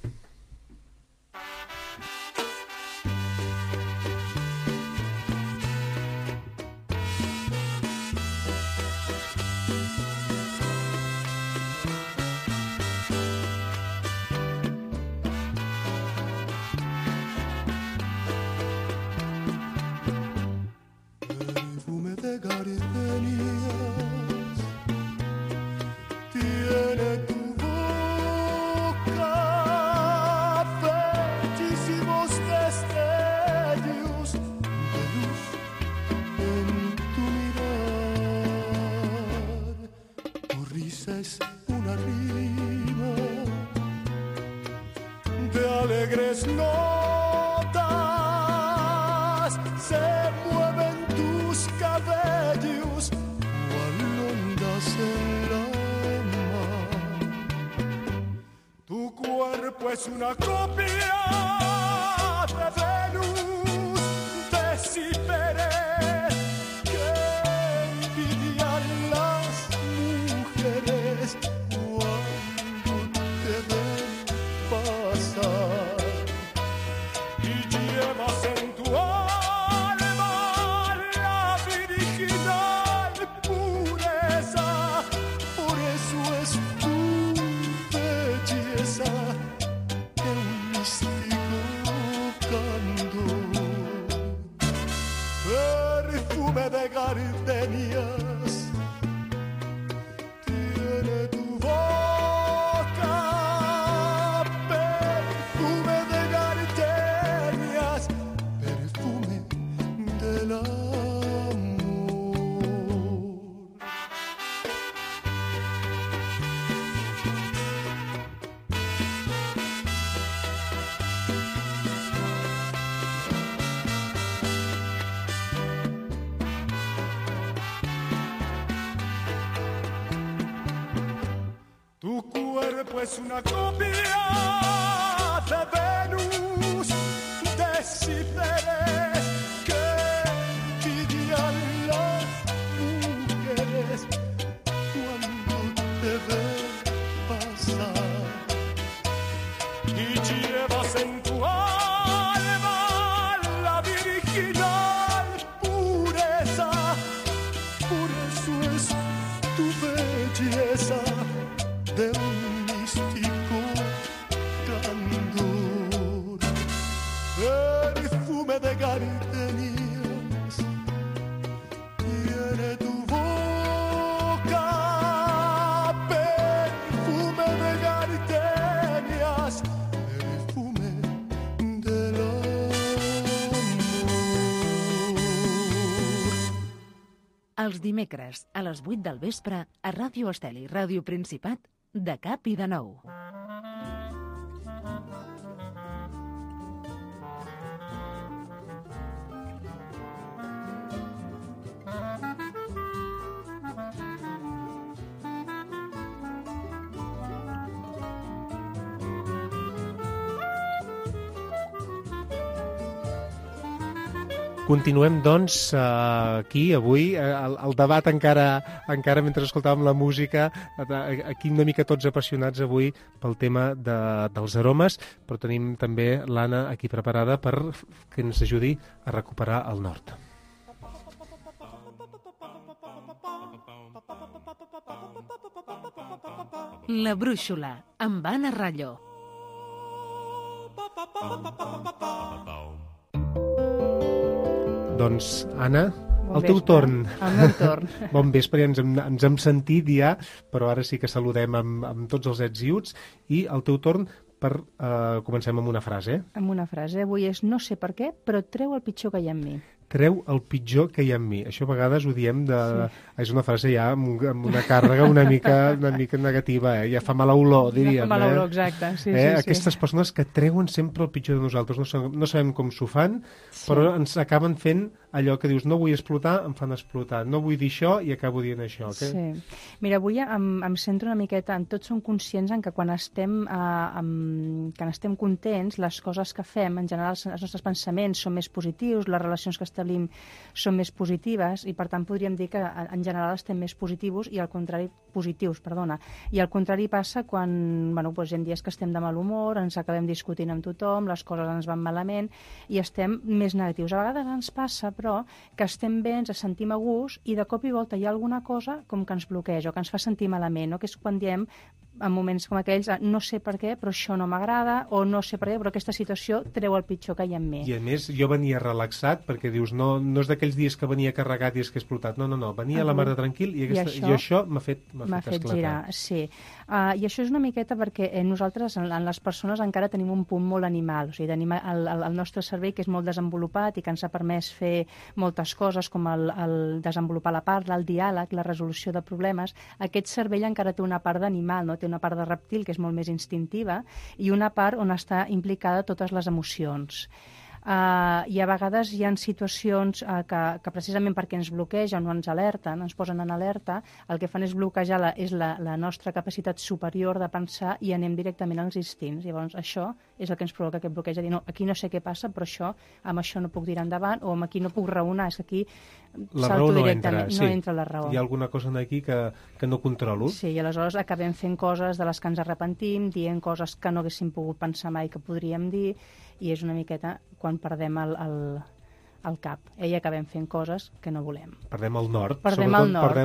Es una copia de Venus, de Ciperes, que envidian las mujeres cuando te ven pasar. Y llevas en tu alma la virginal pureza, por eso es tu belleza. Místico canto Tu cuerpo es una copia de Venus, descifres que envidian las mujeres cuando te ven pasar. Y llevas en tu alma la virginal pureza, por eso es tu belleza de un místico candor. Perfume de gardenias tiene tu boca, perfume de gardenias, perfume del amor. Els dimecres, a les 8 del vespre, a Ràdio Estel i Ràdio Principat, de cap i de nou. Continuem, doncs, aquí, avui, el debat encara mentre escoltàvem la música, aquí una mica tots apassionats avui pel tema dels aromes, però tenim també l'Anna aquí preparada per que ens ajudi a recuperar el nord. La brúixola, amb Anna Ralló. Doncs, Anna, el teu torn. El meu torn. Bon vespre, ja ens hem sentit ja, però ara sí que saludem amb tots els ets i uts, i el teu torn comencem amb una frase. Amb una frase. Avui és no sé per què, però treu el pitjor que hi ha en mi. Treu el pitjor que hi ha en mi. Això a vegades ho diem de... Sí. És una frase ja amb una càrrega una mica negativa, Ja fa mala olor, diríem. Ja fa mala olor, exacte. Sí, Aquestes persones que treuen sempre el pitjor de nosaltres. No sabem com s'ho fan, però ens acaben fent allò que dius, no vull explotar, em fan explotar. No vull dir això i acabo dient això. Okay? Sí. Mira, avui em centro una miqueta en tots som conscients en que quan estem contents, les coses que fem, en general els nostres pensaments són més positius, les relacions que establim són més positives i per tant podríem dir que en general estem més positius i al contrari I al contrari passa quan hi ha dies que estem de mal humor, ens acabem discutint amb tothom, les coses ens van malament i estem més negatius. A vegades ens passa, però, que estem bé, ens sentim a gust i de cop i volta hi ha alguna cosa com que ens bloqueja o que ens fa sentir malament, no? Que és quan diem en moments com aquells, no sé per què, però això no m'agrada, o no sé per què, però aquesta situació treu el pitjor que hi ha en mi. I a més, jo venia relaxat, perquè dius, no és d'aquells dies que venia carregat i és que he explotat, no, venia a la mar de tranquil i això m'ha fet esclatar. Girar, sí. I això és una miqueta perquè nosaltres, en les persones, encara tenim un punt molt animal, o sigui, tenim el nostre cervell que és molt desenvolupat i que ens ha permès fer moltes coses, com el desenvolupar la parla, el diàleg, la resolució de problemes. Aquest cervell encara té una part d'animal, no? Té una part de reptil que és molt més instintiva i una part on està implicada totes les emocions. I a vegades hi ha situacions que precisament perquè ens bloquegen o ens alerten, ens posen en alerta, el que fan és bloquejar la nostra capacitat superior de pensar i anem directament als instints. Llavors això és el que ens provoca aquest bloqueig, de dir, no, aquí no sé què passa, però amb això no puc tirar endavant, o amb aquí no puc raonar, és que aquí salto directament, no entra la raó. Hi ha alguna cosa aquí que no controlo. Sí, i aleshores acabem fent coses de les que ens arrepentim, dient coses que no haguéssim pogut pensar mai que podríem dir, i és una miqueta quan perdem el cap. I acabem fent coses que no volem. Perdem el nord. Perdem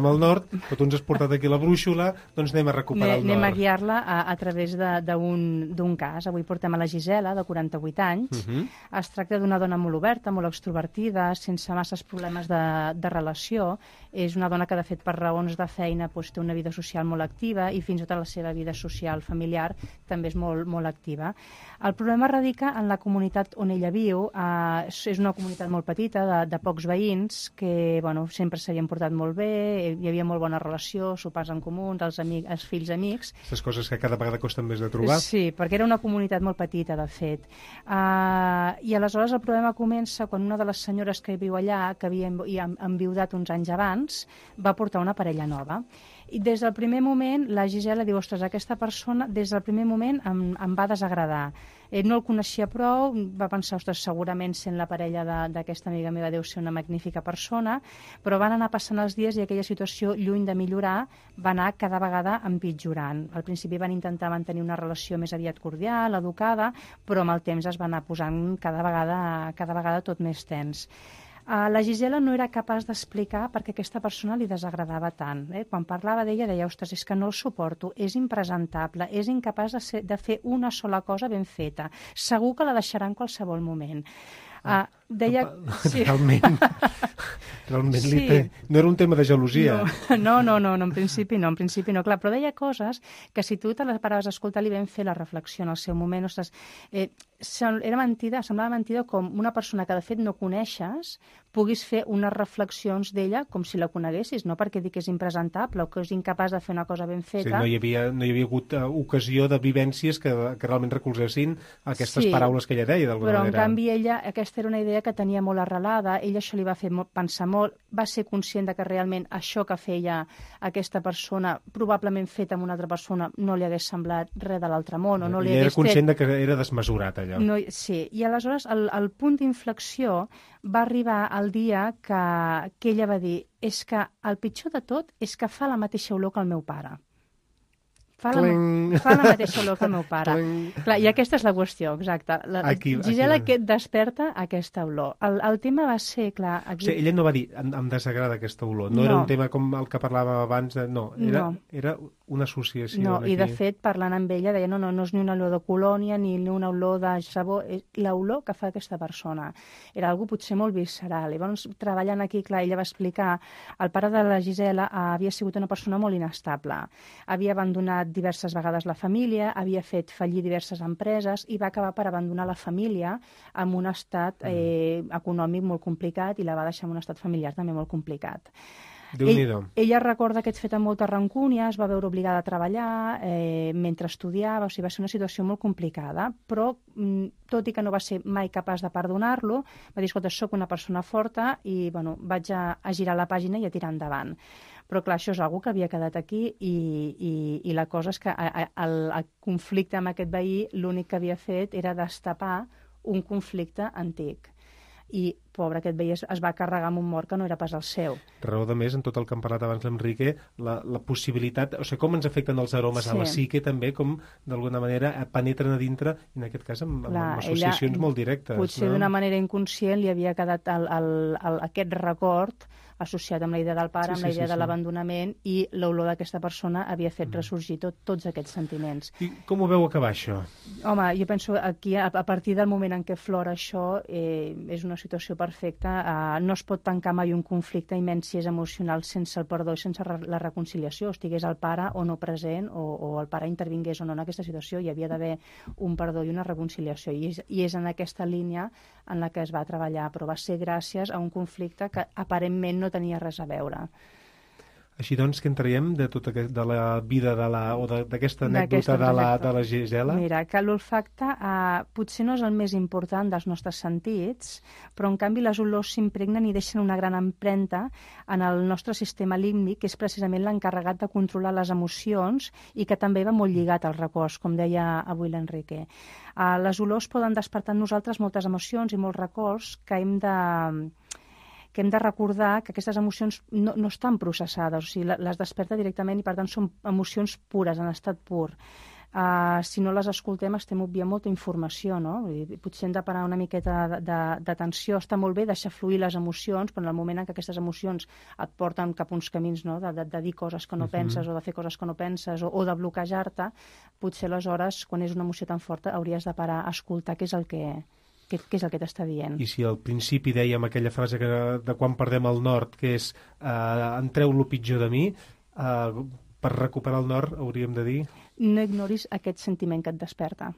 el nord, però tu ens has portat aquí la brúixola, doncs anem a recuperar el nord. Anem a guiar-la a través d'un cas. Avui portem a la Gisela, de 48 anys. Es tracta d'una dona molt oberta, molt extrovertida, sense masses problemes de relació. És una dona que, de fet, per raons de feina té una vida social molt activa i fins i tot la seva vida social familiar també és molt, molt activa. El problema radica en la comunitat on ella viu. És una comunitat molt petita, de pocs veïns, que sempre s'havien portat molt bé, hi havia molt bona relació, sopars en comú, els fills amics. Aquestes coses que cada vegada costen més de trobar. Sí, perquè era una comunitat molt petita, de fet. I aleshores el problema comença quan una de les senyores que viu allà, que havia enviudat uns anys abans, va portar una parella nova. I des del primer moment, la Gisela diu, ostres, aquesta persona des del primer moment em va desagradar. No el coneixia prou, va pensar, ostres, segurament sent la parella d'aquesta amiga meva deu ser una magnífica persona, però van anar passant els dies i aquella situació, lluny de millorar, va anar cada vegada empitjorant. Al principi van intentar mantenir una relació més aviat cordial, educada, però amb el temps es va anar posant cada vegada tot més tens. La Gisela no era capaç d'explicar perquè aquesta persona li desagradava tant. Quan parlava d'ella deia, ostres, és que no el suporto, és impresentable, és incapaç de fer una sola cosa ben feta. Segur que la deixarà en qualsevol moment. Deia... Sí. Realment sí. No era un tema de gelosia. No, en principi no, clar, però deia coses que si tu te les paraves a escoltar li vam fer la reflexió en el seu moment, ostres, semblava mentida com una persona que de fet no coneixes puguis fer unes reflexions d'ella com si la coneguessis, no perquè dic que és impresentable o que és incapaç de fer una cosa ben feta. Sí, no hi havia hagut ocasió de vivències que realment recolzessin aquestes paraules que ella deia, d'alguna manera. Però en canvi ella, aquesta era una idea que tenia molt arrelada, ella això li va fer pensar molt, va ser conscient de que realment això que feia aquesta persona, probablement feta amb una altra persona, no li hagués semblat res de l'altre món, o no li hagués fet... era conscient que era desmesurat, allò. No, sí, i aleshores el punt d'inflexió va arribar el dia que ella va dir, és que el pitjor de tot és que fa la mateixa olor que el meu pare. Fa la mateixa olor que el meu pare. Clar, i aquesta és la qüestió, exacte. Gisela que desperta aquesta olor. El tema va ser, clar... Aquí... O sigui, ella no va dir, em desagrada aquesta olor. No era un tema com el que parlàvem abans. Era una associació. No, i de fet, parlant amb ella, deia, no és ni una olor de colònia, ni una olor de sabó, és l'olor que fa aquesta persona. Era algo potser molt visceral. I llavors, treballant aquí, clar, ella va explicar, el pare de la Gisela havia sigut una persona molt inestable. Havia abandonat diverses vegades la família, havia fet fallir diverses empreses i va acabar per abandonar la família amb un estat econòmic molt complicat i la va deixar en un estat familiar també molt complicat. Ella recorda aquest fet amb molta rancúnia, es va veure obligada a treballar mentre estudiava, o sigui, va ser una situació molt complicada, però tot i que no va ser mai capaç de perdonar-lo, va dir, escolta, soc una persona forta i vaig a girar la pàgina i a tirar endavant. Però clar, això és una que havia quedat aquí i la cosa és que el conflicte amb aquest veí l'únic que havia fet era destapar un conflicte antic. I, pobre, aquest veí es va carregar amb un mort que no era pas el seu. Raó de més, en tot el que hem parlat abans l'Enrique, la possibilitat, o sigui, com ens afecten els aromes a la psique també, com d'alguna manera penetren a dintre, i en aquest cas amb associacions molt directes. Potser d'una manera inconscient li havia quedat aquest record associat amb la idea del pare, amb la idea de l'abandonament, i l'olor d'aquesta persona havia fet ressorgir tots aquests sentiments. I com ho veu acabar, això? Home, jo penso aquí, a partir del moment en què flora això, és una situació perfecta. No es pot tancar mai un conflicte, i menys si és emocional, sense el perdó i sense la reconciliació. Estigués el pare o no present, o el pare intervingués o no en aquesta situació, hi havia d'haver un perdó i una reconciliació. I és en aquesta línia en la que es va treballar, però va ser gràcies a un conflicte que aparentment no tenia res a veure. Així doncs, què en traiem de la vida d'aquesta anècdota de la Gisela? Mira, que l'olfacte potser no és el més important dels nostres sentits, però en canvi les olors s'impregnen i deixen una gran empremta en el nostre sistema límbic, que és precisament l'encarregat de controlar les emocions i que també va molt lligat als records, com deia avui l'Enrique. Les olors poden despertar en nosaltres moltes emocions i molts records que hem de recordar que aquestes emocions no estan processades, o sigui, les desperta directament i per tant són emocions pures, en estat pur. Si no les escoltem estem obviant molta informació, no? Potser hem de parar una miqueta d'atenció, està molt bé deixar fluir les emocions, però en el moment en què aquestes emocions et porten cap a uns camins, no? de dir coses que no penses o de fer coses que no penses o de bloquejar-te, potser aleshores, quan és una emoció tan forta, hauries de parar a escoltar què és el que t'està dient. I si al principi dèiem aquella frase de quan perdem el nord, que és entreu lo pitjor de mi, per recuperar el nord hauríem de dir... No ignoris aquest sentiment que et desperta.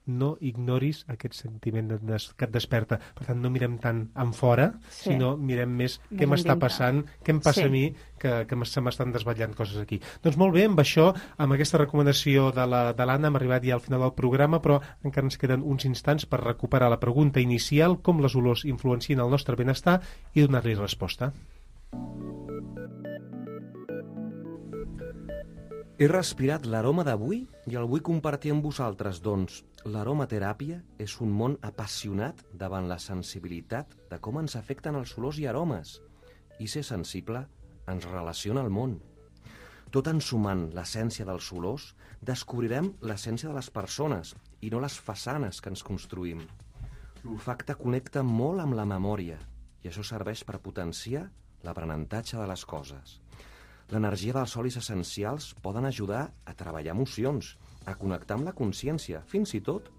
No ignoris aquest sentiment que et desperta. Per tant, no mirem tant en fora, sinó mirem més què m'està passant, què em passa a mi, que se m'estan desvetllant coses aquí. Doncs molt bé, amb això, amb aquesta recomanació de l'Anna, hem arribat ja al final del programa, però encara ens queden uns instants per recuperar la pregunta inicial, com les olors influencien el nostre benestar, i donar-li resposta. He respirat l'aroma d'avui i el vull compartir amb vosaltres, doncs l'aromateràpia és un món apassionat davant la sensibilitat de com ens afecten els olors i aromes, i ser sensible ens relaciona al món. Tot ensumant l'essència dels olors, descobrirem l'essència de les persones i no les façanes que ens construïm. L'olfacte connecta molt amb la memòria i això serveix per potenciar l'aprenentatge de les coses. L'energia dels olis essencials poden ajudar a treballar emocions, a connectar amb la consciència, fins i tot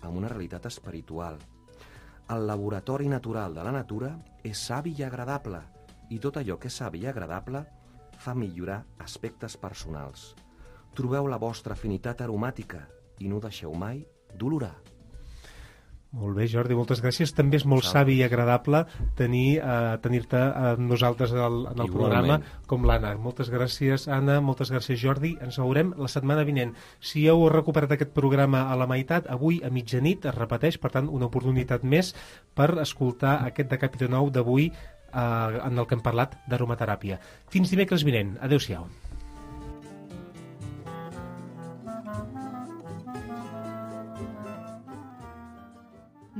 amb una realitat espiritual. El laboratori natural de la natura és savi i agradable, i tot allò que és savi i agradable fa millorar aspectes personals. Trobeu la vostra afinitat aromàtica i no deixeu mai d'olorar. Molt bé, Jordi, moltes gràcies. També és molt savi i agradable tenir-te amb nosaltres en el programa com l'Anna. Moltes gràcies, Anna, moltes gràcies, Jordi. Ens veurem la setmana vinent. Si heu recuperat aquest programa a la meitat, avui a mitjanit es repeteix, per tant, una oportunitat més per escoltar aquest Decàpit de Nou d'avui en el que hem parlat d'aromateràpia. Fins dimecres vinent. Adéu-siau.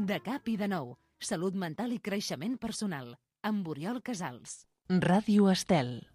De cap i de nou. Salut mental i creixement personal. Amb Oriol Casals. Ràdio Estel.